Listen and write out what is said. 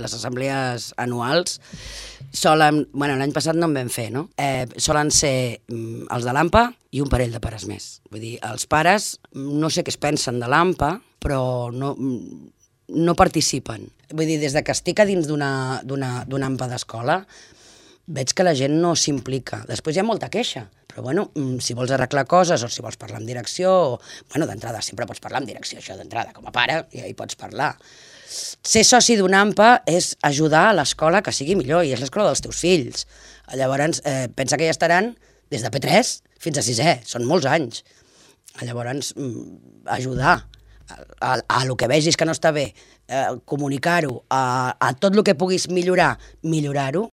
les assemblees anuals solen... Bueno, l'any passat no en vam fer, no? Solen ser els de l'AMPA i un parell de pares més. Vull dir, els pares no sé què es pensen de l'AMPA, però no participen. Vull dir, des que estic a dins d'una AMPA d'escola, veig que la gent no s'implica. Després hi ha molta queixa, però bueno, si vols arreglar coses o si vols parlar amb direcció, bueno, d'entrada sempre pots parlar amb direcció, això d'entrada, com a pare, i hi pots parlar. Ser soci d'una AMPA és ajudar a l'escola que sigui millor, i és l'escola dels teus fills. Llavors, pensa que ja estaran des de P3 fins a 6è, són molts anys. Llavors, ajudar a lo que vegis que no està bé, comunicar-ho, a tot el que puguis millorar-ho,